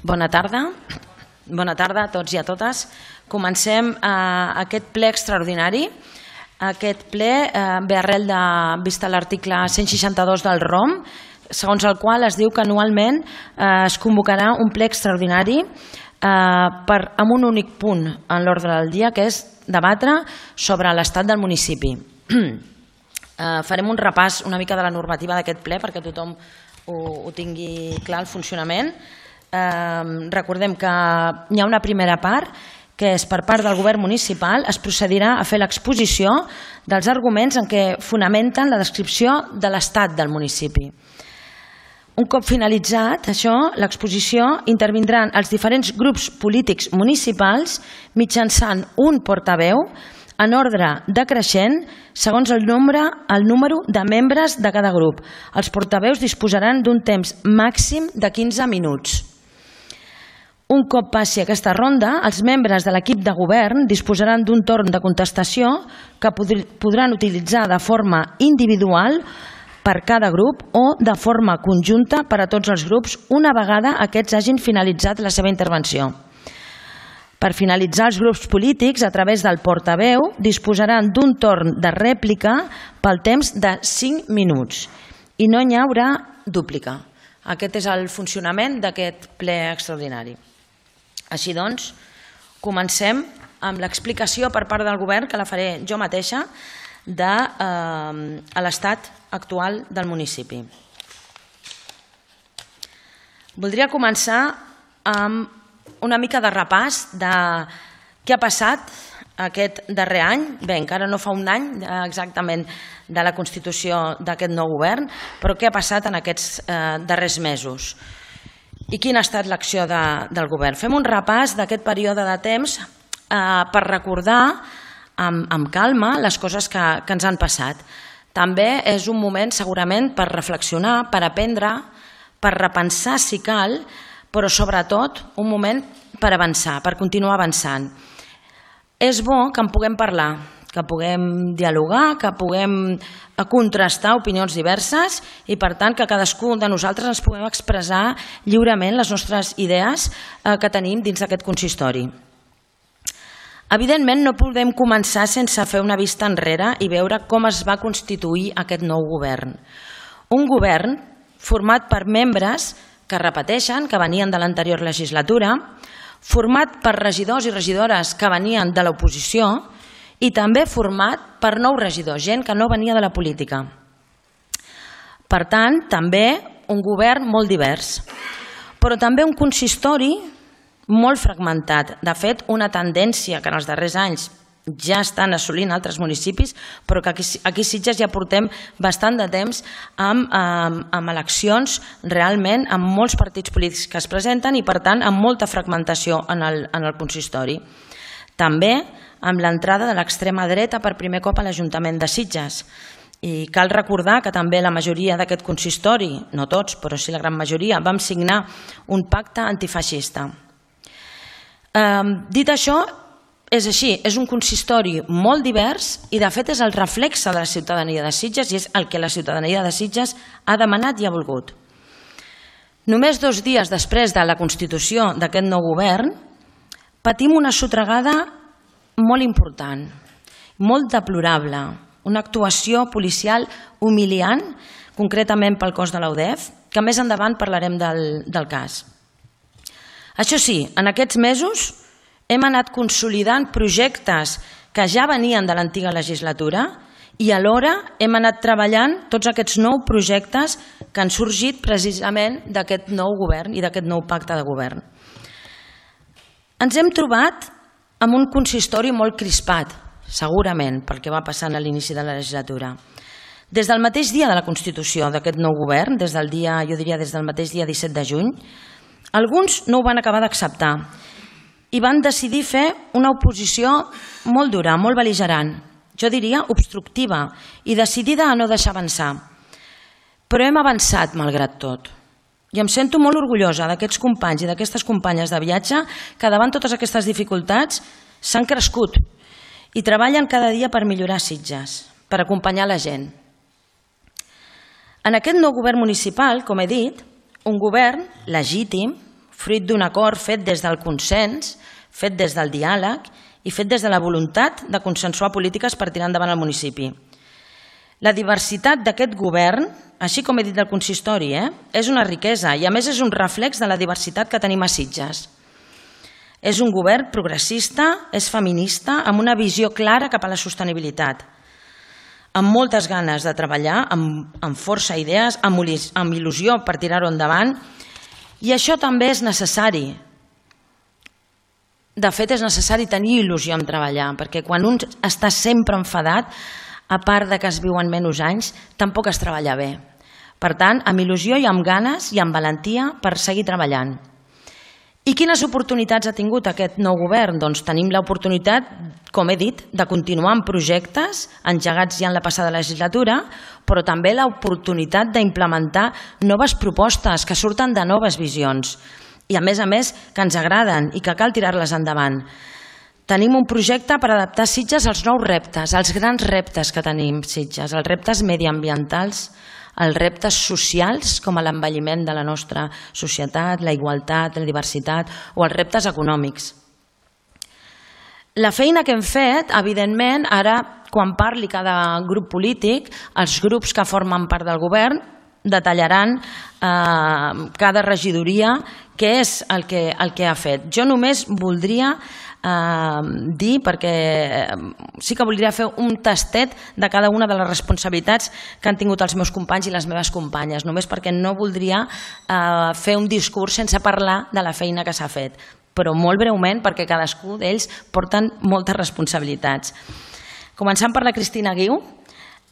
Bona tarda a tots i a totes. Comencem aquest ple extraordinari. Aquest ple ve arrel de vista l'article 162 del ROM, segons el qual es diu que anualment es convocarà un ple extraordinari amb un únic punt en l'ordre del dia, que és debatre sobre l'estat del municipi. Farem un repàs una mica de la normativa d'aquest ple perquè tothom ho tingui clar, el funcionament. Recordem que hi ha una primera part que és per part del govern municipal es procedirà a fer l'exposició dels arguments en què fonamenten la descripció de l'estat del municipi. Un cop finalitzat això, l'exposició, intervindran els diferents grups polítics municipals mitjançant un portaveu en ordre decreixent segons el número de membres de cada grup. Els portaveus disposaran d'un temps màxim de 15 minuts. Un cop passi aquesta ronda, els membres de l'equip de govern disposaran d'un torn de contestació que podran utilitzar de forma individual per cada grup o de forma conjunta per a tots els grups una vegada aquests hagin finalitzat la seva intervenció. Per finalitzar, els grups polítics, a través del portaveu, disposaran d'un torn de rèplica pel temps de 5 minuts i no hi haurà dúplica. Aquest és el funcionament d'aquest ple extraordinari. Així doncs, comencem amb l'explicació per part del govern, que la faré jo mateixa, de l'estat actual del municipi. Voldria començar amb una mica de repàs de què ha passat aquest darrer any. Bé, encara no fa un any exactament de la constitució d'aquest nou govern, però què ha passat en aquests darrers mesos? I quina ha estat l'acció del govern? Fem un repàs d'aquest període de temps per recordar amb calma les coses que ens han passat. També és un moment segurament per reflexionar, per aprendre, per repensar si cal, però sobretot un moment per avançar, per continuar avançant. És bo que en puguem parlar, que puguem dialogar, que puguem contrastar opinions diverses i per tant que cadascú de nosaltres ens puguem expressar lliurement les nostres idees que tenim dins d'aquest consistori. Evidentment no podem començar sense fer una vista enrere i veure com es va constituir aquest nou govern. Un govern format per membres que repeteixen, que venien de l'anterior legislatura, format per regidors i regidores que venien de l'oposició i també format per nous regidors, gent que no venia de la política. Per tant, també un govern molt divers, però també un consistori molt fragmentat. De fet, una tendència que en els darrers anys ja estan assolint altres municipis, però que aquí a Sitges ja portem bastant de temps amb eleccions realment amb molts partits polítics que es presenten i per tant amb molta fragmentació en el consistori. També amb l'entrada de l'extrema dreta per primer cop a l'Ajuntament de Sitges. I cal recordar que també la majoria d'aquest consistori, no tots, però sí la gran majoria, vam signar un pacte antifeixista. Dit això, és així, és un consistori molt divers i de fet és el reflexe de la ciutadania de Sitges i és el que la ciutadania de Sitges ha demanat i ha volgut. Només 2 dies després de la constitució d'aquest nou govern, patim una sotragada molt important, molt deplorable, una actuació policial humiliant, concretament pel cos de la UDEF, que més endavant parlarem del cas. Això sí, en aquests mesos hem anat consolidant projectes que ja venien de l'antiga legislatura i alhora hem anat treballant tots aquests nous projectes que han sorgit precisament d'aquest nou govern i d'aquest nou pacte de govern. Ens hem trobat amb un consistori molt crispat, segurament, pel que va passant a l'inici de la legislatura. Des del mateix dia de la constitució d'aquest nou govern, des del mateix dia 17 de juny, alguns no ho van acabar d'acceptar i van decidir fer una oposició molt dura, molt bel·ligerant, jo diria obstructiva i decidida a no deixar avançar. Però hem avançat malgrat tot. I em sento molt orgullosa d'aquests companys i d'aquestes companyes de viatge que davant totes aquestes dificultats s'han crescut i treballen cada dia per millorar Sitges, per acompanyar la gent. En aquest nou govern municipal, com he dit, un govern legítim, fruit d'un acord fet des del consens, fet des del diàleg i fet des de la voluntat de consensuar polítiques per tirar endavant el municipi. La diversitat d'aquest govern, així com he dit del consistori, és una riquesa i a més és un reflex de la diversitat que tenim a Sitges. És un govern progressista, és feminista, amb una visió clara cap a la sostenibilitat, amb moltes ganes de treballar, amb força idees, amb il·lusió per tirar-ho endavant, i això també és necessari. De fet, és necessari tenir il·lusió en treballar, perquè quan un està sempre enfadat, a part de que es viuen menys anys, tampoc es treballa bé. Per tant, amb il·lusió i amb ganes i amb valentia per seguir treballant. I quines oportunitats ha tingut aquest nou govern? Doncs tenim l'oportunitat, com he dit, de continuar amb projectes engegats ja en la passada legislatura, però també l'oportunitat d'implementar noves propostes que surten de noves visions i, a més, que ens agraden i que cal tirar-les endavant. Tenim un projecte per adaptar Sitges als nous reptes, als grans reptes que tenim Sitges, els reptes mediambientals, els reptes socials com l'envelliment de la nostra societat, la igualtat, la diversitat o els reptes econòmics. La feina que hem fet, evidentment, ara quan parli cada grup polític, els grups que formen part del govern detallaran cada regidoria què és el que ha fet. Jo només voldria dir, perquè sí que voldria fer un tastet de cada una de les responsabilitats que han tingut els meus companys i les meves companyes, només perquè no voldria fer un discurs sense parlar de la feina que s'ha fet, però molt breument perquè cadascú d'ells porten moltes responsabilitats. Començant per la Cristina Guiu,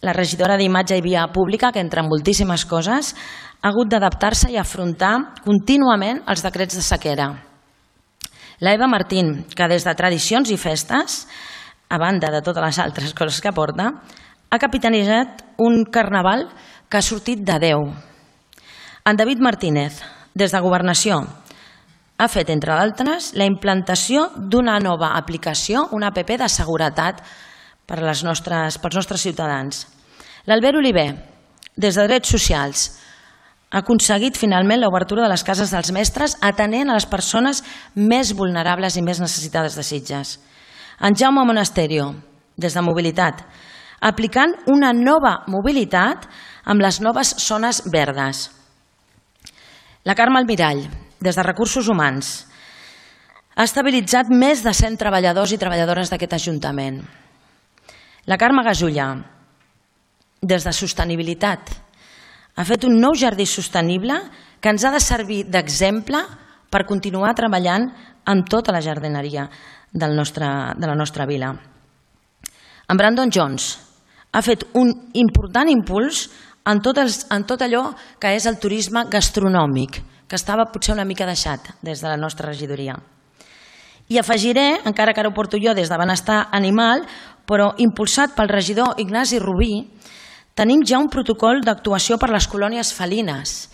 la regidora d'Imatge i Via Pública, que entre moltíssimes coses ha hagut d'adaptar-se i afrontar contínuament els decrets de sequera. La Eva Martín, que des de tradicions i festes, a banda de totes les altres coses que porta, ha capitanejat un carnaval que ha sortit de Déu. En David Martínez, des de Governació, ha fet, entre d'altres, la implantació d'una nova aplicació, una app de seguretat pels nostres ciutadans. L'Albert Oliver, des de Drets Socials, ha aconseguit finalment l'obertura de les cases dels mestres atenent a les persones més vulnerables i més necessitades de Sitges. En Jaume Monasterio, des de Mobilitat, aplicant una nova mobilitat amb les noves zones verdes. La Carme Almirall, des de Recursos Humans, ha estabilitzat més de 100 treballadors i treballadores d'aquest Ajuntament. La Carme Gasulla, des de Sostenibilitat, ha fet un nou jardí sostenible que ens ha de servir d'exemple per continuar treballant en tota la jardineria de la nostra vila. En Brandon Jones ha fet un important impuls en tot allò que és el turisme gastronòmic, que estava potser una mica deixat des de la nostra regidoria. I afegiré, encara que ara ho porto jo des de Benestar Animal, però impulsat pel regidor Ignasi Rubí, tenim ja un protocol d'actuació per les colònies felines.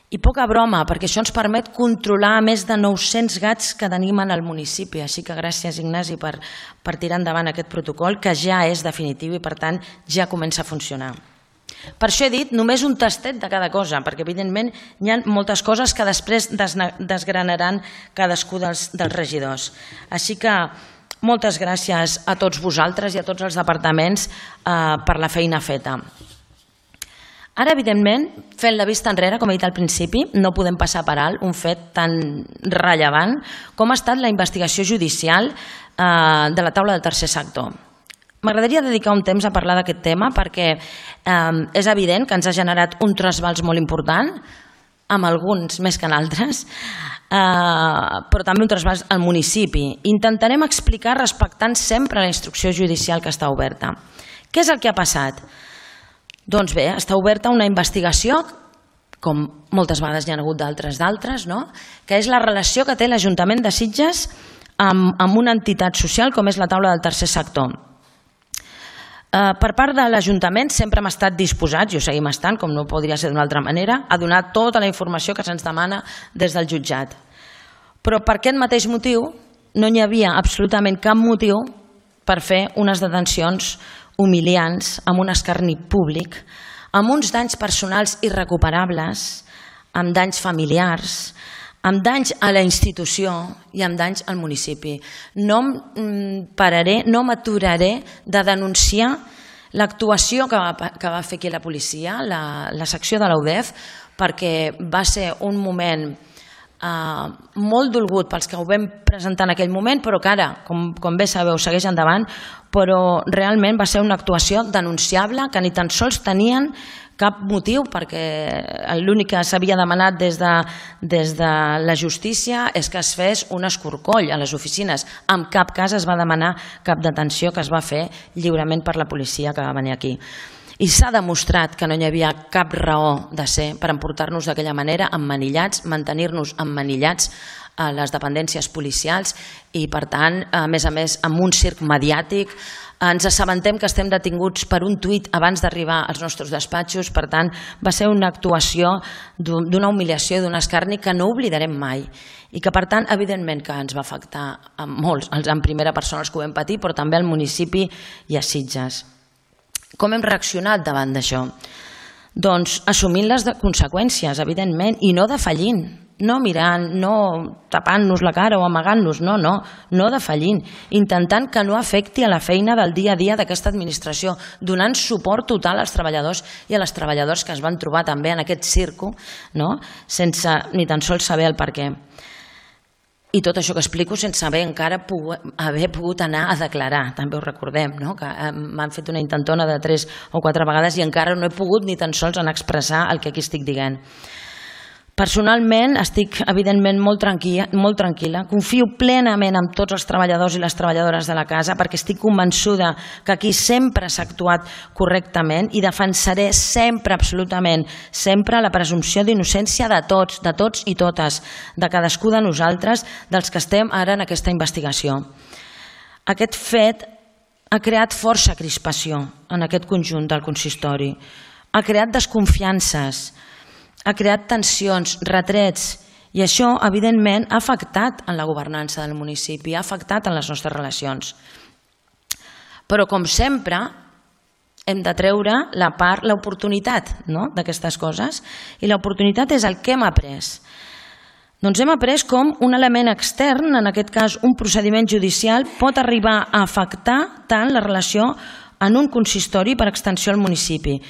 I poca broma, perquè això ens permet controlar més de 900 gats que tenim en el municipi. Així que gràcies, Ignasi, per tirar endavant aquest protocol, que ja és definitiu i, per tant, ja comença a funcionar. Per això he dit només un tastet de cada cosa, perquè, evidentment, hi ha moltes coses que després desgranaran cadascú dels regidors. Així que moltes gràcies a tots vosaltres i a tots els departaments per la feina feta. Ara, evidentment, fent la vista enrere, com he dit al principi, no podem passar per alt un fet tan rellevant com ha estat la investigació judicial de la taula del tercer sector. M'agradaria dedicar un temps a parlar d'aquest tema perquè és evident que ens ha generat un trasbals molt important, amb alguns més que en altres, però també un trasbals al municipi. Intentarem explicar respectant sempre la instrucció judicial que està oberta. Què és el que ha passat? Doncs bé, està oberta una investigació, com moltes vegades n'hi ha hagut d'altres, que és la relació que té l'Ajuntament de Sitges amb una entitat social com és la taula del tercer sector. Per part de l'Ajuntament sempre hem estat disposats, i ho seguim estant, com no podria ser d'una altra manera, a donar tota la informació que se'ns demana des del jutjat. Però per aquest mateix motiu no hi havia absolutament cap motiu per fer unes detencions humiliants, amb un escarni públic, amb uns danys personals irrecuperables, amb danys familiars, amb danys a la institució i amb danys al municipi. No pararé, no m'aturaré de denunciar l'actuació que va fer aquí la policia, la secció de l'UDEF, perquè va ser un moment molt dolgut pels que ho vam presentar en aquell moment, però que ara, com bé sabeu, segueix endavant, però realment va ser una actuació denunciable que ni tan sols tenien cap motiu, perquè l'únic que s'havia demanat des de la justícia és que es fes un escorcoll a les oficines. En cap cas es va demanar cap detenció, que es va fer lliurement per la policia que va venir aquí. I s'ha demostrat que no hi havia cap raó de ser per emportar-nos d'aquella manera, emmanillats, mantenir-nos emmanillats a les dependències policials i, per tant, a més, amb un circ mediàtic. Ens assabentem que estem detinguts per un tuit abans d'arribar als nostres despatxos, per tant, va ser una actuació d'una humiliació, d'un escarni que no oblidarem mai i que, per tant, evidentment que ens va afectar a molts, en primera persona els que ho vam patir, però també al municipi i a Sitges. Com hem reaccionat davant d'això? Doncs assumint les conseqüències, evidentment, i no defallint, no mirant, no tapant-nos la cara o amagant-nos, no defallint, intentant que no afecti a la feina del dia a dia d'aquesta administració, donant suport total als treballadors i a les treballadores que es van trobar també en aquest circo, sense ni tan sols saber el per què. I tot això que explico sense haver encara haver pogut anar a declarar, també ho recordem, que m'han fet una intentona de 3 o 4 vegades i encara no he pogut ni tan sols anar a expressar el que aquí estic dient. Personalment estic evidentment molt tranquil·la, confio plenament en tots els treballadors i les treballadores de la casa perquè estic convençuda que aquí sempre s'ha actuat correctament i defensaré sempre, absolutament, sempre la presumpció d'innocència de tots i totes, de cadascú de nosaltres, dels que estem ara en aquesta investigació. Aquest fet ha creat força crispació en aquest conjunt del consistori, ha creat desconfiances, ha creat tensions, retrets, i això, evidentment, ha afectat en la governança del municipi, ha afectat en les nostres relacions. Però, com sempre, hem de treure l'oportunitat d'aquestes coses, i l'oportunitat és el que hem après. Doncs hem après com un element extern, en aquest cas un procediment judicial, pot arribar a afectar tant la relació en un consistori per extensió al municipi.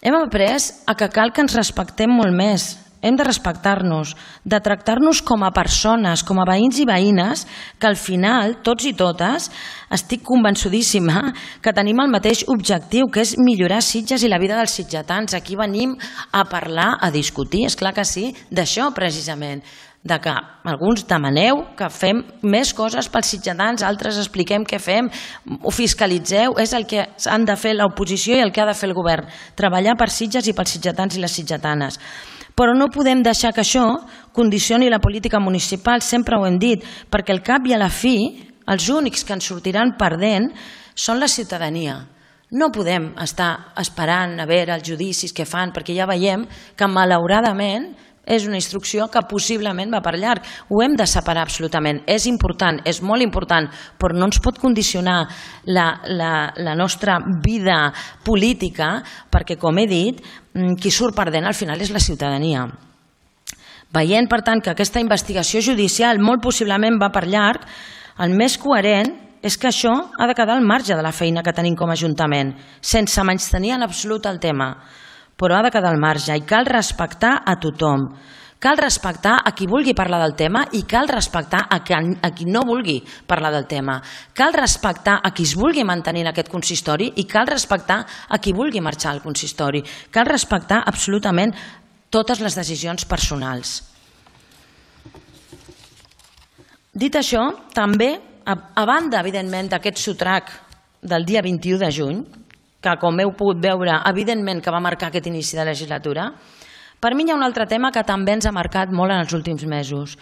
Hem après que cal que ens respectem molt més, hem de respectar-nos, de tractar-nos com a persones, com a veïns i veïnes, que al final, tots i totes, estic convençudíssima que tenim el mateix objectiu, que és millorar Sitges i la vida dels sitgetans. Aquí venim a parlar, a discutir, és clar que sí, d'això precisament, de que alguns demaneu que fem més coses pels sitgetans, altres expliquem què fem, ho fiscalitzeu, és el que han de fer l'oposició i el que ha de fer el govern, treballar per Sitges i pels sitgetans i les sitgetanes. Però no podem deixar que això condicioni la política municipal, sempre ho hem dit, perquè al cap i a la fi, els únics que ens sortiran perdent són la ciutadania. No podem estar esperant a veure els judicis que fan, perquè ja veiem que malauradament és una instrucció que possiblement va per llarg. Ho hem de separar absolutament. És important, és molt important, però no ens pot condicionar la nostra vida política perquè, com he dit, qui surt perdent al final és la ciutadania. Veient, per tant, que aquesta investigació judicial molt possiblement va per llarg, el més coherent és que això ha de quedar al marge de la feina que tenim com a Ajuntament, sense menystenir en absolut el tema. Però ha de quedar al marge i cal respectar a tothom. Cal respectar a qui vulgui parlar del tema i cal respectar a qui no vulgui parlar del tema. Cal respectar a qui es vulgui mantenir en aquest consistori i cal respectar a qui vulgui marxar al consistori. Cal respectar absolutament totes les decisions personals. Dit això, també, a banda, evidentment, d'aquest sotrac del dia 21 de juny, que, com heu pogut veure, evidentment que va marcar aquest inici de legislatura, per mi hi ha un altre tema que també ens ha marcat molt en els últims mesos,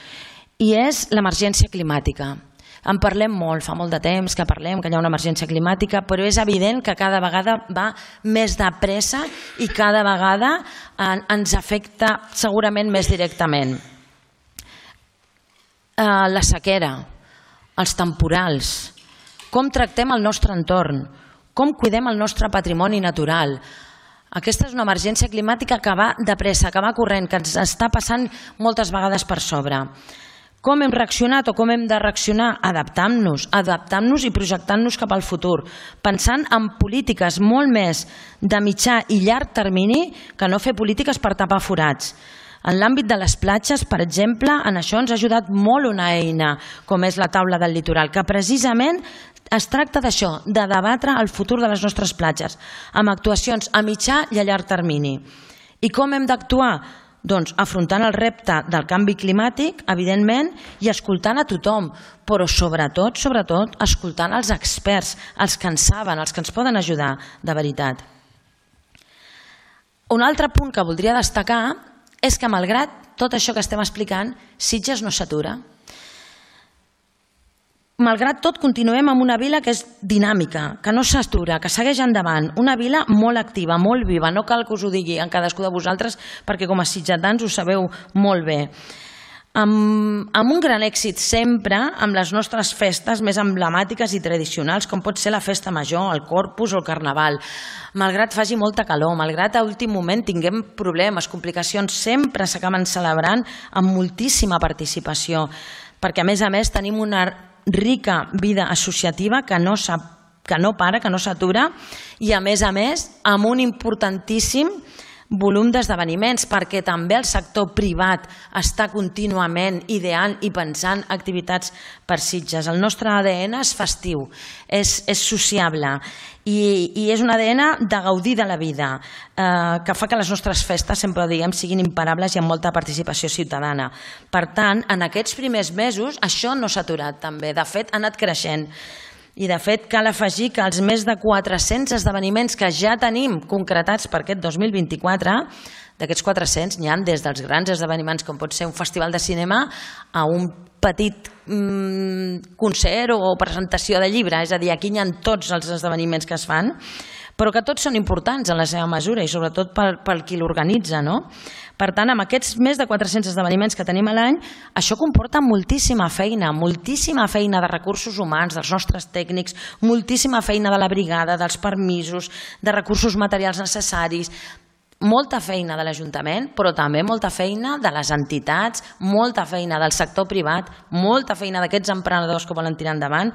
i és l'emergència climàtica. En parlem molt, fa molt de temps que parlem que hi ha una emergència climàtica, però és evident que cada vegada va més de pressa i cada vegada ens afecta segurament més directament. La sequera, els temporals, com tractem el nostre entorn, com cuidem el nostre patrimoni natural, Aquesta és una emergència climàtica que va de pressa, que va corrent, que ens està passant moltes vegades per sobre. Com hem reaccionat o com hem de reaccionar? Adaptant-nos i projectant-nos cap al futur, pensant en polítiques molt més de mitjà i llarg termini que no fer polítiques per tapar forats. En l'àmbit de les platges, per exemple, en això ens ha ajudat molt una eina com és la taula del litoral, que precisament es tracta d'això, de debatre el futur de les nostres platges, amb actuacions a mitjà i a llarg termini. I com hem d'actuar? Doncs afrontant el repte del canvi climàtic, evidentment, i escoltant a tothom, però sobretot, escoltant els experts, els que en saben, els que ens poden ajudar de veritat. Un altre punt que voldria destacar és que, malgrat tot això que estem explicant, Sitges no s'atura. Malgrat tot, continuem amb una vila que és dinàmica, que no s'atura, que segueix endavant, una vila molt activa, molt viva, no cal que us ho digui en cadascú de vosaltres perquè com a sitgetans ho sabeu molt bé. Amb un gran èxit sempre amb les nostres festes més emblemàtiques i tradicionals, com pot ser la festa major, el Corpus o el Carnaval. Malgrat faci molta calor, malgrat a últim moment tinguem problemes, complicacions, sempre s'acaben celebrant amb moltíssima participació, perquè a més tenim una rica vida associativa que no para, que no s'atura i a més amb un importantíssim volum d'esdeveniments perquè també el sector privat està contínuament ideant i pensant activitats per Sitges. El nostre ADN és festiu, és sociable i és un ADN de gaudir de la vida que fa que les nostres festes, sempre ho diguem, siguin imparables i amb molta participació ciutadana. Per tant, en aquests primers mesos això no s'ha aturat també, de fet ha anat creixent. I de fet cal afegir que els més de 400 esdeveniments que ja tenim concretats per aquest 2024, d'aquests 400 n'hi ha des dels grans esdeveniments com pot ser un festival de cinema a un petit concert o presentació de llibre, és a dir, aquí n'hi ha tots els esdeveniments que es fan, però que tots són importants en la seva mesura i sobretot pel qui l'organitza, no? Per tant, amb aquests més de 400 esdeveniments que tenim a l'any, això comporta moltíssima feina de recursos humans, dels nostres tècnics, moltíssima feina de la brigada, dels permisos, de recursos materials necessaris, molta feina de l'Ajuntament, però també molta feina de les entitats, molta feina del sector privat, molta feina d'aquests emprenedors que volen tirar endavant,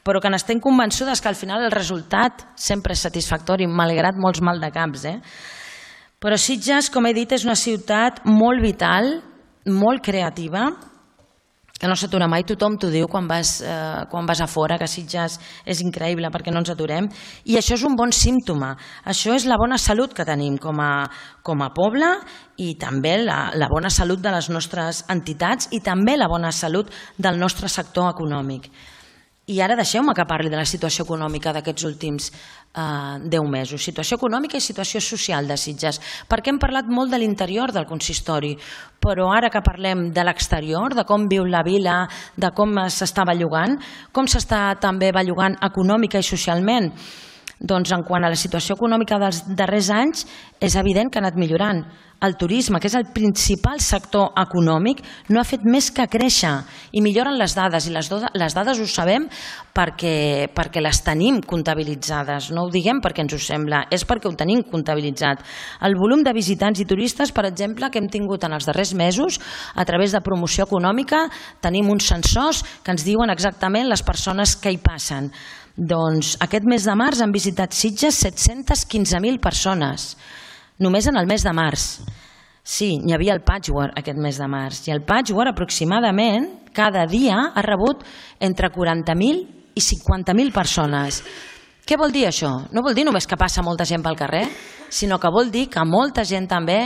però que n'estem convençudes que al final el resultat sempre és satisfactori, malgrat molts maldecaps. Però Sitges, com he dit, és una ciutat molt vital, molt creativa, que no s'atura mai. Tothom t'ho diu quan vas a fora, que Sitges és increïble perquè no ens aturem. I això és un bon símptoma. Això és la bona salut que tenim com a poble i també la bona salut de les nostres entitats i també la bona salut del nostre sector econòmic. I ara deixeu-me que parli de la situació econòmica d'aquests últims 10 mesos. Situació econòmica i situació social de Sitges. Perquè hem parlat molt de l'interior del consistori, però ara que parlem de l'exterior, de com viu la vila, de com s'està bellugant, com s'està també bellugant econòmica i socialment, doncs en quant a la situació econòmica dels darrers anys és evident que ha anat millorant. El turisme, que és el principal sector econòmic, no ha fet més que créixer i milloren les dades, i les dades ho sabem perquè les tenim comptabilitzades, no ho diguem perquè ens ho sembla, és perquè ho tenim comptabilitzat. El volum de visitants i turistes, per exemple, que hem tingut en els darrers mesos, a través de promoció econòmica, tenim uns sensors que ens diuen exactament les persones que hi passen. Doncs aquest mes de març han visitat Sitges 715.000 persones, només en el mes de març. Sí, hi havia el patchwork aquest mes de març, i el patchwork aproximadament cada dia ha rebut entre 40.000 i 50.000 persones. Què vol dir això? No vol dir només que passa molta gent pel carrer, sinó que vol dir que molta gent també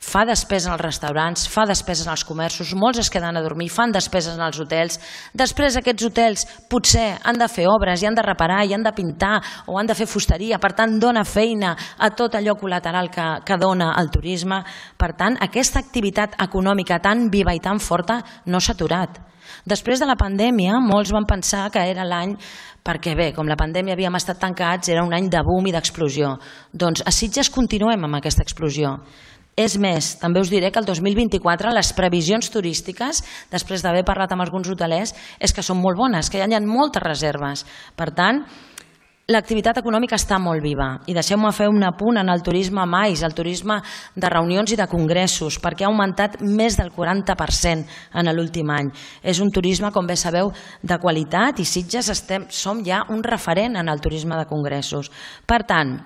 fa despesa als restaurants, fa despesa als comerços, molts es queden a dormir, fan despeses als hotels. Després aquests hotels potser han de fer obres i han de reparar i han de pintar o han de fer fusteria, per tant dona feina a tot allò col·lateral que dona el turisme. Per tant, aquesta activitat econòmica tan viva i tan forta no s'ha aturat. Després de la pandèmia, molts van pensar que era l'any, perquè bé, com la pandèmia havíem estat tancats, era un any de boom i d'explosió. Doncs a Sitges continuem amb aquesta explosió. És més, també us diré que el 2024 les previsions turístiques, després d'haver parlat amb alguns hotelers, és que són molt bones, que ja hi ha moltes reserves. Per tant, l'activitat econòmica està molt viva i deixeu-me fer un apunt en el turisme mais, el turisme de reunions i de congressos, perquè ha augmentat més del 40% en l'últim any. És un turisme, com bé sabeu, de qualitat i Sitges som ja un referent en el turisme de congressos. Per tant,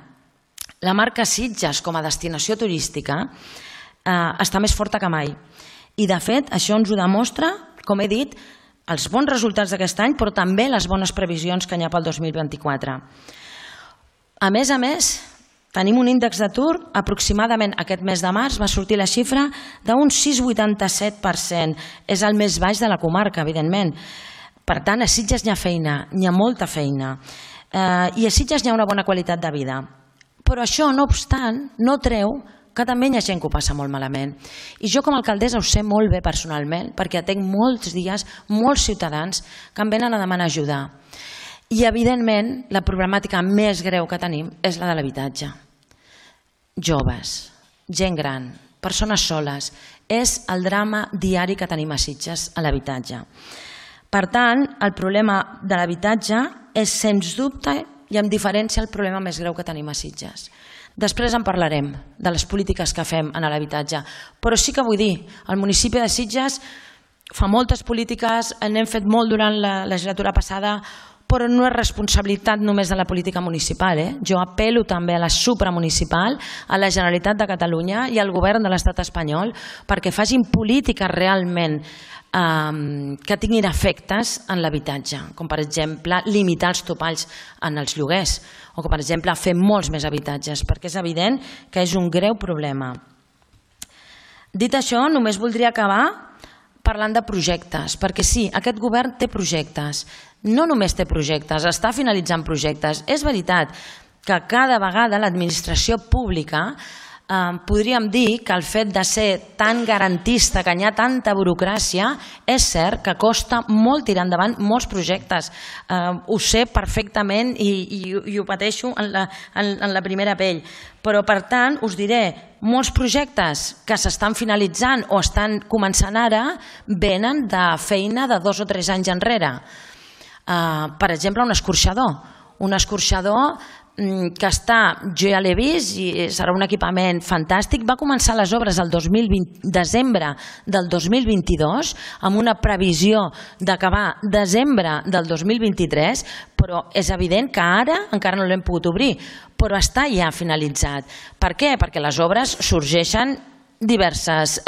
la marca Sitges com a destinació turística està més forta que mai. I de fet, això ens ho demostra, com he dit, els bons resultats d'aquest any, però també les bones previsions que hi ha pel 2024. A més, tenim un índex d'atur aproximadament aquest mes de març va sortir la xifra d'un 6,87%. És el més baix de la comarca, evidentment. Per tant, a Sitges hi ha feina, hi ha molta feina. I a Sitges hi ha una bona qualitat de vida. Però això, no obstant, no treu que també hi ha gent que ho passa molt malament. I jo com a alcaldessa ho sé molt bé personalment, perquè atenc molts dies, molts ciutadans que em venen a demanar ajuda. I evidentment la problemàtica més greu que tenim és la de l'habitatge. Joves, gent gran, persones soles, és el drama diari que tenim a Sitges a l'habitatge. Per tant, el problema de l'habitatge és sens dubte i amb diferència el problema més greu que tenim a Sitges. Després en parlarem de les polítiques que fem en l'habitatge, però sí que vull dir, el municipi de Sitges fa moltes polítiques, n'hem fet molt durant la legislatura passada, però no és responsabilitat només de la política municipal. Jo apel·lo també a la supramunicipal, a la Generalitat de Catalunya i al govern de l'estat espanyol perquè facin polítiques realment que tinguin efectes en l'habitatge, com per exemple limitar els topalls en els lloguers o com per exemple fer molts més habitatges, perquè és evident que és un greu problema. Dit això, només voldria acabar parlant de projectes, perquè sí, aquest govern té projectes, no només té projectes, està finalitzant projectes. És veritat que cada vegada l'administració pública podríem dir que el fet de ser tan garantista, que hi ha tanta burocràcia, és cert que costa molt tirar endavant molts projectes. Ho sé perfectament i ho pateixo en la primera pell. Però, per tant, us diré, molts projectes que s'estan finalitzant o estan començant ara venen de feina de 2 o 3 anys enrere. Per exemple, un escorxador que jo ja l'he vist i serà un equipament fantàstic. Va començar les obres el desembre del 2022 amb una previsió d'acabar desembre del 2023, però és evident que ara encara no l'hem pogut obrir, però està ja finalitzat. Per què? Perquè les obres sorgeixen diversos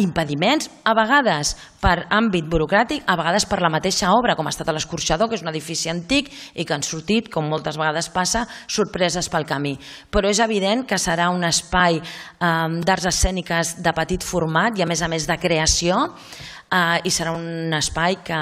impediments, a vegades per àmbit burocràtic, a vegades per la mateixa obra, com ha estat l'Escorxador, que és un edifici antic i que han sortit, com moltes vegades passa, sorpreses pel camí. Però és evident que serà un espai d'arts escèniques de petit format i a més de creació, i serà un espai que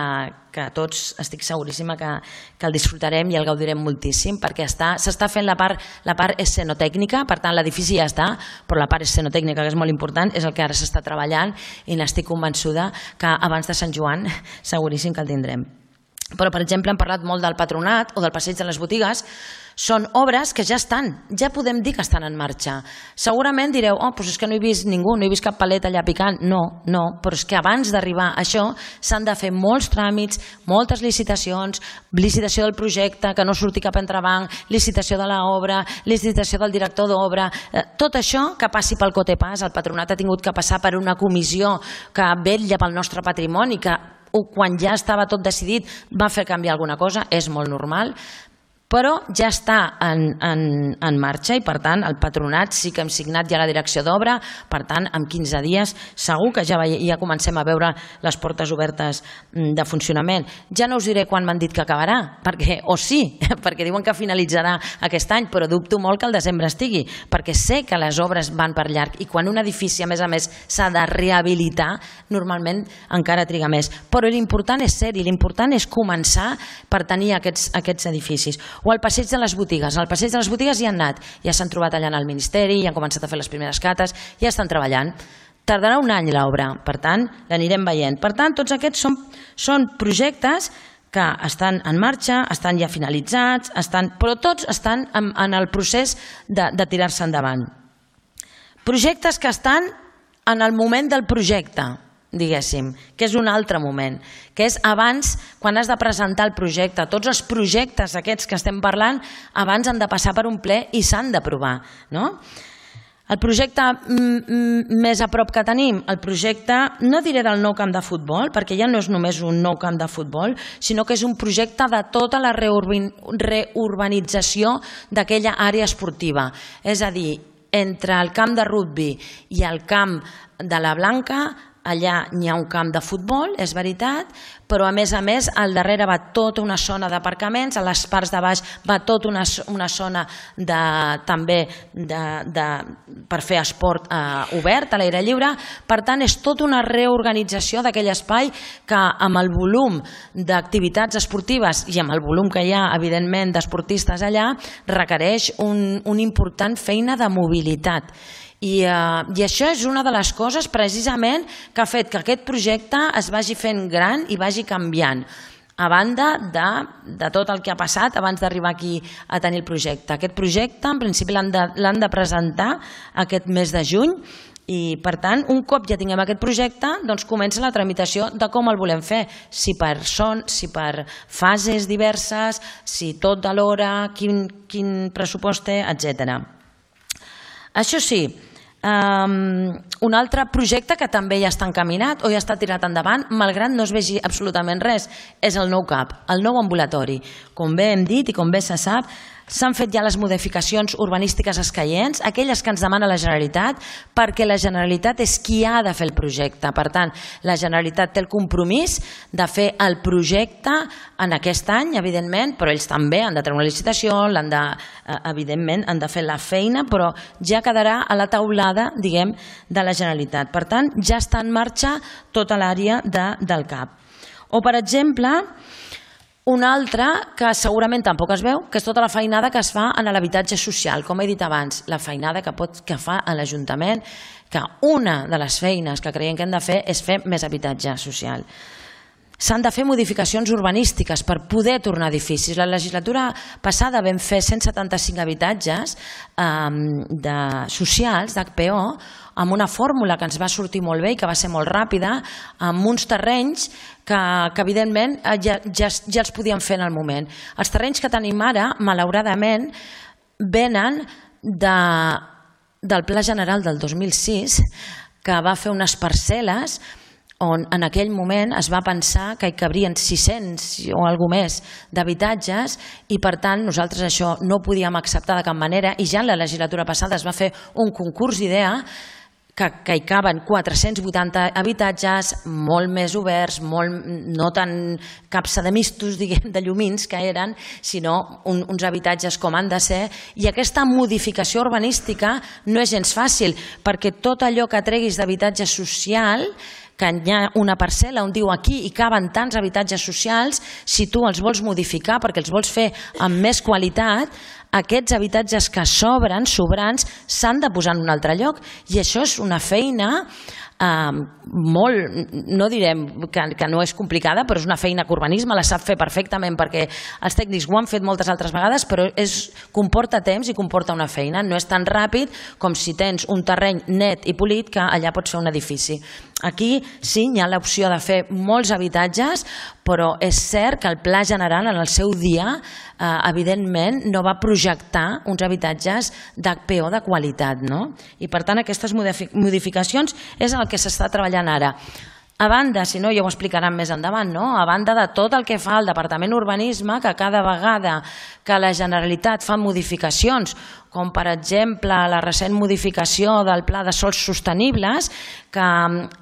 tots estic seguríssima que el disfrutarem i el gaudirem moltíssim, perquè s'està fent la part escenotècnica, per tant l'edifici ja està, però la part escenotècnica, que és molt important, és el que ara s'està treballant i n'estic convençuda que abans de Sant Joan seguríssim que el tindrem. Però, per exemple, hem parlat molt del Patronat o del Passeig de les Botigues. Són obres que ja estan, ja podem dir que estan en marxa. Segurament direu, doncs és que no he vist ningú, no he vist cap palet allà picant. No, però és que abans d'arribar a això s'han de fer molts tràmits, moltes licitacions, licitació del projecte, que no surti cap entrebanc, licitació de l'obra, licitació del director d'obra. Tot això que passi pel cotepàs, el Patronat ha tingut que passar per una comissió que vetlla pel nostre patrimoni, que quan ja estava tot decidit va fer canviar alguna cosa, és molt normal, però ja està en marxa i per tant el Patronat sí que hem signat ja la direcció d'obra, per tant en 15 dies segur que ja comencem a veure les portes obertes de funcionament. Ja no us diré quan m'han dit que acabarà, perquè diuen que finalitzarà aquest any, però dubto molt que el desembre estigui, perquè sé que les obres van per llarg i quan un edifici a més s'ha de rehabilitar normalment encara triga més, però l'important és ser-hi, l'important és començar per tenir aquests edificis. O al Passeig de les Botigues. Al Passeig de les Botigues hi han anat, ja s'han trobat allà al Ministeri, ja han començat a fer les primeres cates, ja estan treballant. Tardarà un any l'obra, per tant, l'anirem veient. Per tant, tots aquests són projectes que estan en marxa, estan ja finalitzats, però tots estan en el procés de tirar-se endavant. Projectes que estan en el moment del projecte, diguéssim, que és un altre moment, que és abans, quan has de presentar el projecte. Tots els projectes aquests que estem parlant abans han de passar per un ple i s'han d'aprovar. El projecte més a prop que tenim, el projecte, no diré del nou camp de futbol, perquè ja no és només un nou camp de futbol, sinó que és un projecte de tota la reurbanització d'aquella àrea esportiva. És a dir, entre el camp de rugbi i el camp de la Blanca, allà n'hi ha un camp de futbol, és veritat, però a més, al darrere va tota una zona d'aparcaments, a les parts de baix va tota una zona també per fer esport obert, a l'aire lliure. Per tant, és tota una reorganització d'aquell espai que amb el volum d'activitats esportives i amb el volum que hi ha, evidentment, d'esportistes allà, requereix una important feina de mobilitat. I això és una de les coses precisament que ha fet que aquest projecte es vagi fent gran i vagi canviant, a banda de tot el que ha passat abans d'arribar aquí a tenir el projecte. Aquest projecte en principi l'han de presentar aquest mes de juny i per tant un cop ja tinguem aquest projecte doncs comença la tramitació de com el volem fer, si per fases diverses, si tot alhora, quin pressupost té, etc. Això sí, un altre projecte que també ja està encaminat o ja està tirat endavant, malgrat no es vegi absolutament res, és el nou CAP, el nou ambulatori. Com bé hem dit i com bé se sap, s'han fet ja les modificacions urbanístiques escaients, aquelles que ens demana la Generalitat, perquè la Generalitat és qui ha de fer el projecte. Per tant, la Generalitat té el compromís de fer el projecte en aquest any, evidentment, però ells també han de treure una licitació, evidentment han de fer la feina, però ja quedarà a la taulada, diguem, de la Generalitat. Per tant, ja està en marxa tota l'àrea del CAP. O, per exemple, una altra que segurament tampoc es veu, que és tota la feinada que es fa en l'habitatge social. Com he dit abans, la feinada que fa a l'Ajuntament, que una de les feines que creiem que hem de fer és fer més habitatge social. S'han de fer modificacions urbanístiques per poder tornar edificis. La legislatura passada vam fer 175 habitatges socials, d'HPO, amb una fórmula que ens va sortir molt bé i que va ser molt ràpida, amb uns terrenys que evidentment ja els podíem fer en el moment. Els terrenys que tenim ara, malauradament, venen del Pla General del 2006, que va fer unes parcel·les on en aquell moment es va pensar que hi cabrien 600 o alguna més d'habitatges i per tant nosaltres això no ho podíem acceptar de cap manera i ja en la legislatura passada es va fer un concurs d'idea que hi caben 480 habitatges, molt més oberts, no tan capsa de mistos, diguem, de llumins que eren, sinó uns habitatges com han de ser. I aquesta modificació urbanística no és gens fàcil, perquè tot allò que treguis d'habitatge social, que hi ha una parcel·la on diu aquí hi caben tants habitatges socials, si tu els vols modificar perquè els vols fer amb més qualitat, aquests habitatges que sobren, sobrants, s'han de posar en un altre lloc. I això és una feina molt, no direm que no és complicada, però és una feina que urbanisme la sap fer perfectament perquè els tècnics ho han fet moltes altres vegades, però comporta temps i comporta una feina. No és tan ràpid com si tens un terreny net i polit que allà pots fer un edifici. Aquí sí, hi ha l'opció de fer molts habitatges, però és cert que el Pla General en el seu dia evidentment no va projectar uns habitatges d'HPO de qualitat. I per tant aquestes modificacions és el que s'està treballant ara. A banda, si no ja ho explicaran més endavant, a banda de tot el que fa el Departament d'Urbanisme, que cada vegada que la Generalitat fa modificacions, com per exemple la recent modificació del Pla de Sòls Sostenibles, que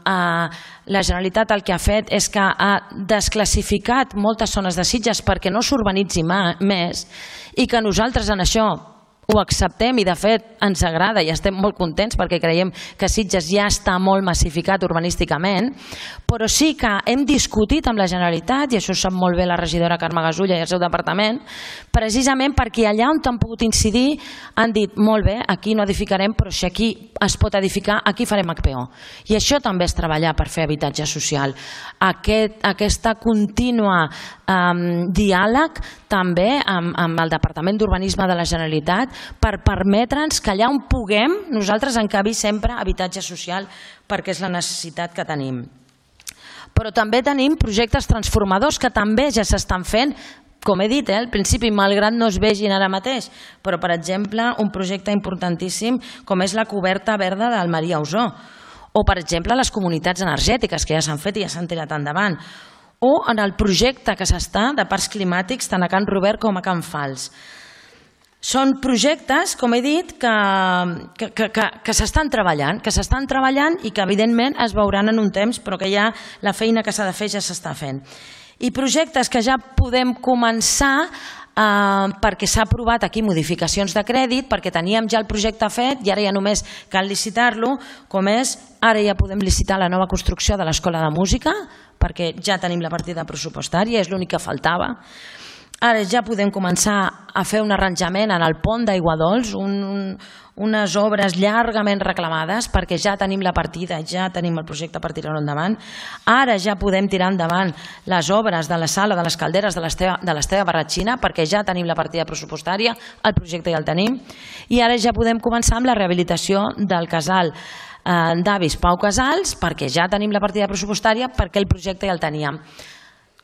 la Generalitat el que ha fet és que ha desclassificat moltes zones de Sitges perquè no s'urbanitzi més i que nosaltres en això ho acceptem i de fet ens agrada i estem molt contents perquè creiem que Sitges ja està molt massificat urbanísticament, però sí que hem discutit amb la Generalitat, i això ho sap molt bé la regidora Carme Gasulla i el seu departament, precisament perquè allà on han pogut incidir han dit molt bé, aquí no edificarem, però si aquí es pot edificar, aquí farem HPO. I això també és treballar per fer habitatge social. Aquesta contínua diàleg també amb el Departament d'Urbanisme de la Generalitat per permetre'ns que allà on puguem nosaltres encabir sempre habitatge social perquè és la necessitat que tenim. Però també tenim projectes transformadors que també ja s'estan fent, com he dit, al principi, malgrat no es vegin ara mateix, però, per exemple, un projecte importantíssim com és la coberta verda del Maria Ausó, o, per exemple, les comunitats energètiques que ja s'han fet i ja s'han tirat endavant, o en el projecte que s'està de parcs climàtics tant a Can Robert com a Can Fals. Són projectes, com he dit, que s'estan treballant i que, evidentment, es veuran en un temps, però que ja la feina que s'ha de fer ja s'està fent. I projectes que ja podem començar perquè s'ha aprovat aquí modificacions de crèdit, perquè teníem ja el projecte fet i ara ja només cal licitar-lo, com és, ara ja podem licitar la nova construcció de l'Escola de Música, perquè ja tenim la partida pressupostària, és l'únic que faltava. Ara ja podem començar a fer un arranjament en el pont d'Aiguadols, unes obres llargament reclamades perquè ja tenim la partida, ja tenim el projecte per tirar-ho endavant. Ara ja podem tirar endavant les obres de la sala de les calderes de l'Esteve Barratxina perquè ja tenim la partida pressupostària, el projecte ja el tenim. I ara ja podem començar amb la rehabilitació del casal d'avis Pau Casals perquè ja tenim la partida pressupostària perquè el projecte ja el teníem.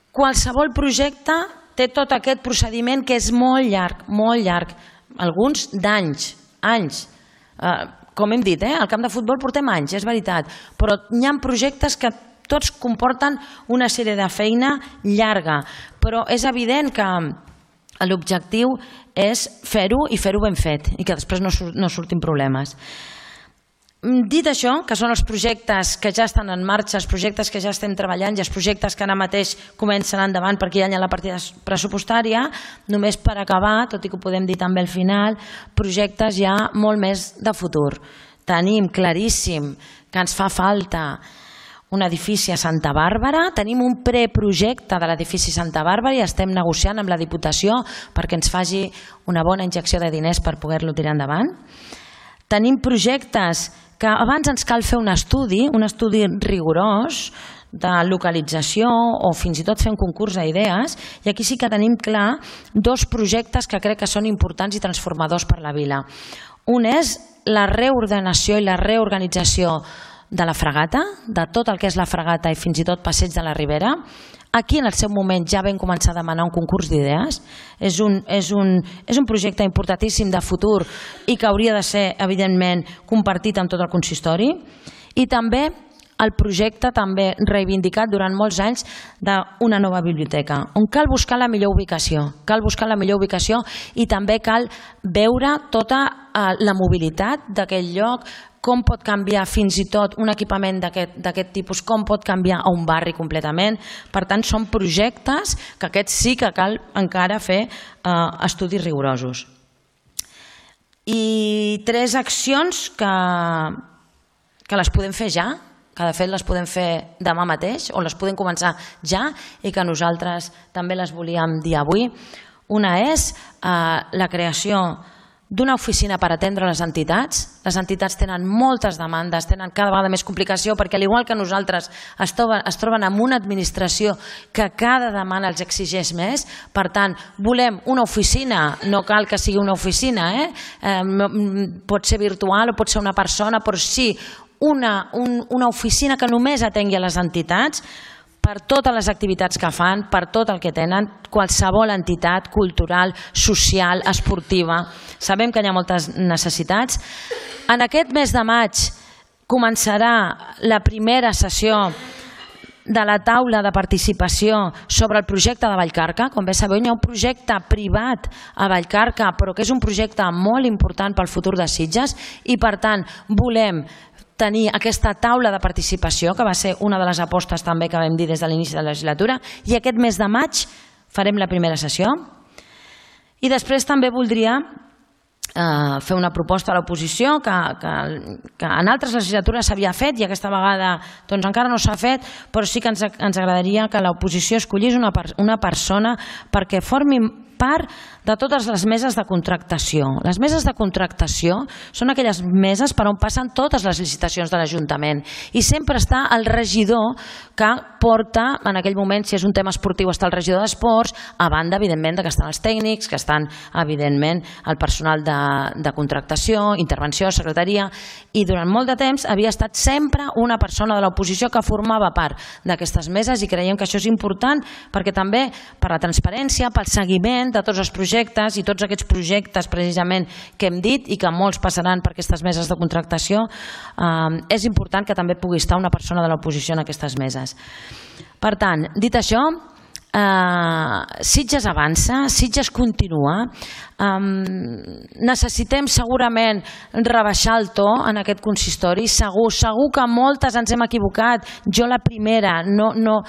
Qualsevol projecte té tot aquest procediment que és molt llarg, alguns d'anys, anys. Com hem dit, al camp de futbol portem anys, és veritat, però hi ha projectes que tots comporten una sèrie de feina llarga, però és evident que l'objectiu és fer-ho i fer-ho ben fet i que després no surtin problemes. Dit això, que són els projectes que ja estan en marxa, els projectes que ja estem treballant i els projectes que ara mateix comencen endavant perquè ja hi ha la partida pressupostària, només per acabar, tot i que ho podem dir també al final, projectes ja molt més de futur. Tenim claríssim que ens fa falta un edifici a Santa Bàrbara, tenim un preprojecte de l'edifici Santa Bàrbara i estem negociant amb la Diputació perquè ens faci una bona injecció de diners per poder-lo tirar endavant. Tenim projectes que abans ens cal fer un estudi rigorós de localització o fins i tot fer un concurs d'idees i aquí sí que tenim clar dos projectes que crec que són importants i transformadors per la vila. Un és la reordenació i la reorganització de la fregata, de tot el que és la fregata i fins i tot Passeig de la Ribera. Aquí en el seu moment ja vam començar a demanar un concurs d'idees. És un projecte importantíssim de futur i que hauria de ser, evidentment, compartit amb tot el consistori. I també el projecte també reivindicat durant molts anys d'una nova biblioteca, on cal buscar la millor ubicació i també cal veure tota la mobilitat d'aquell lloc, com pot canviar fins i tot un equipament d'aquest tipus, com pot canviar a un barri completament. Per tant, són projectes que aquests sí que cal encara fer estudis rigorosos. I 3 accions que les podem fer ja, que de fet les podem fer demà mateix o les podem començar ja i que nosaltres també les volíem dir avui. Una és la creació d'una oficina per atendre les entitats. Les entitats tenen moltes demandes, tenen cada vegada més complicació perquè al igual que nosaltres es troben amb una administració que cada demanda els exigeix més. Per tant, volem una oficina, no cal que sigui una oficina, pot ser virtual o pot ser una persona, però sí una oficina que només atengui a les entitats per totes les activitats que fan, per tot el que tenen, qualsevol entitat cultural, social, esportiva. Sabem que hi ha moltes necessitats. En aquest mes de maig començarà la primera sessió de la taula de participació sobre el projecte de Vallcarca. Com bé sabeu, hi ha un projecte privat a Vallcarca, però que és un projecte molt important pel futur de Sitges i, per tant, volem tenir aquesta taula de participació, que va ser una de les apostes també que vam dir des de l'inici de la legislatura, i aquest mes de maig farem la primera sessió. I després també voldria fer una proposta a l'oposició que en altres legislatures s'havia fet i aquesta vegada encara no s'ha fet, però sí que ens agradaria que l'oposició escollís una persona perquè formi part de totes les meses de contractació. Les meses de contractació són aquelles meses per on passen totes les licitacions de l'Ajuntament i sempre està el regidor que porta, en aquell moment, si és un tema esportiu, està el regidor d'Esports, a banda, evidentment, que estan els tècnics, que estan, evidentment, el personal de de contractació, intervenció, secretaria, i durant molt de temps havia estat sempre una persona de l'oposició que formava part d'aquestes meses, i creiem que això és important perquè també per la transparència, pel seguiment de tots els projectes i tots aquests projectes precisament que hem dit i que molts passaran per aquestes meses de contractació, és important que també pugui estar una persona de l'oposició en aquestes meses. Per tant, dit això, Sitges avança, Sitges continua, necessitem segurament rebaixar el to en aquest consistori, segur que moltes ens hem equivocat, jo la primera, no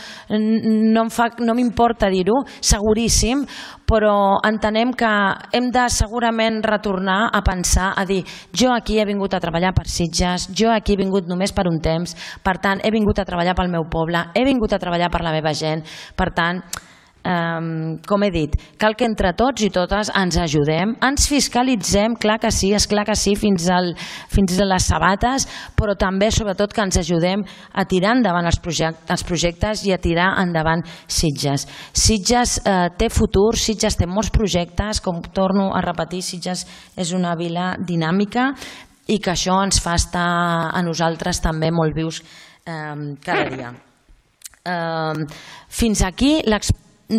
m'importa dir-ho, seguríssim, però entenem que hem de segurament retornar a pensar, a dir, jo aquí he vingut a treballar per Sitges, jo aquí he vingut només per un temps, per tant he vingut a treballar pel meu poble, he vingut a treballar per la meva gent, per tant, com he dit, cal que entre tots i totes ens ajudem, ens fiscalitzem, clar que sí, esclar que sí, fins a les sabates, però també, sobretot, que ens ajudem a tirar endavant els projectes i a tirar endavant Sitges. Sitges té futur, Sitges té molts projectes, com torno a repetir, Sitges és una vila dinàmica i que això ens fa estar a nosaltres també molt vius cada dia. Fins aquí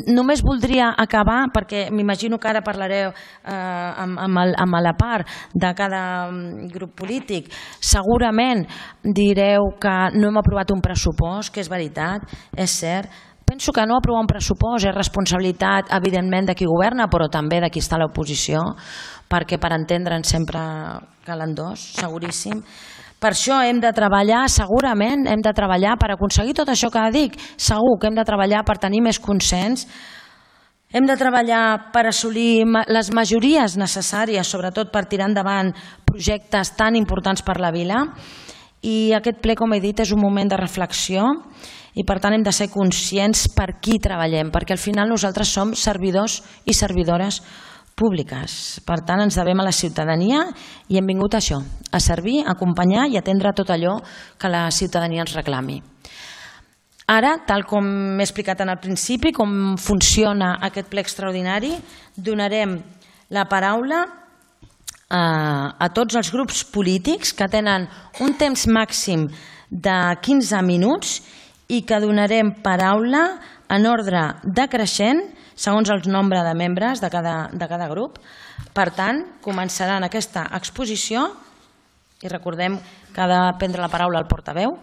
només voldria acabar, perquè m'imagino que ara parlareu amb la part de cada grup polític. Segurament direu que no hem aprovat un pressupost, que és veritat, és cert. Penso que no aprovar un pressupost és responsabilitat, evidentment, de qui governa, però també de qui està a l'oposició, perquè per entendre'ns sempre calen dos, seguríssim. Per això hem de treballar, segurament hem de treballar per aconseguir tot això que dic, segur que hem de treballar per tenir més consens, hem de treballar per assolir les majories necessàries, sobretot per tirar endavant projectes tan importants per la vila, i aquest ple, com he dit, és un moment de reflexió i per tant hem de ser conscients per qui treballem, perquè al final nosaltres som servidors i servidores públiques. Per tant, ens devem a la ciutadania i hem vingut a això, a servir, a acompanyar i atendre tot allò que la ciutadania ens reclami. Ara, tal com m'he explicat en el principi, com funciona aquest ple extraordinari, donarem la paraula a tots els grups polítics que tenen un temps màxim de 15 minuts i que donarem paraula en ordre decreixent segons el nombre de membres de cada grup. Per tant, començaran aquesta exposició i recordem que ha de prendre la paraula el portaveu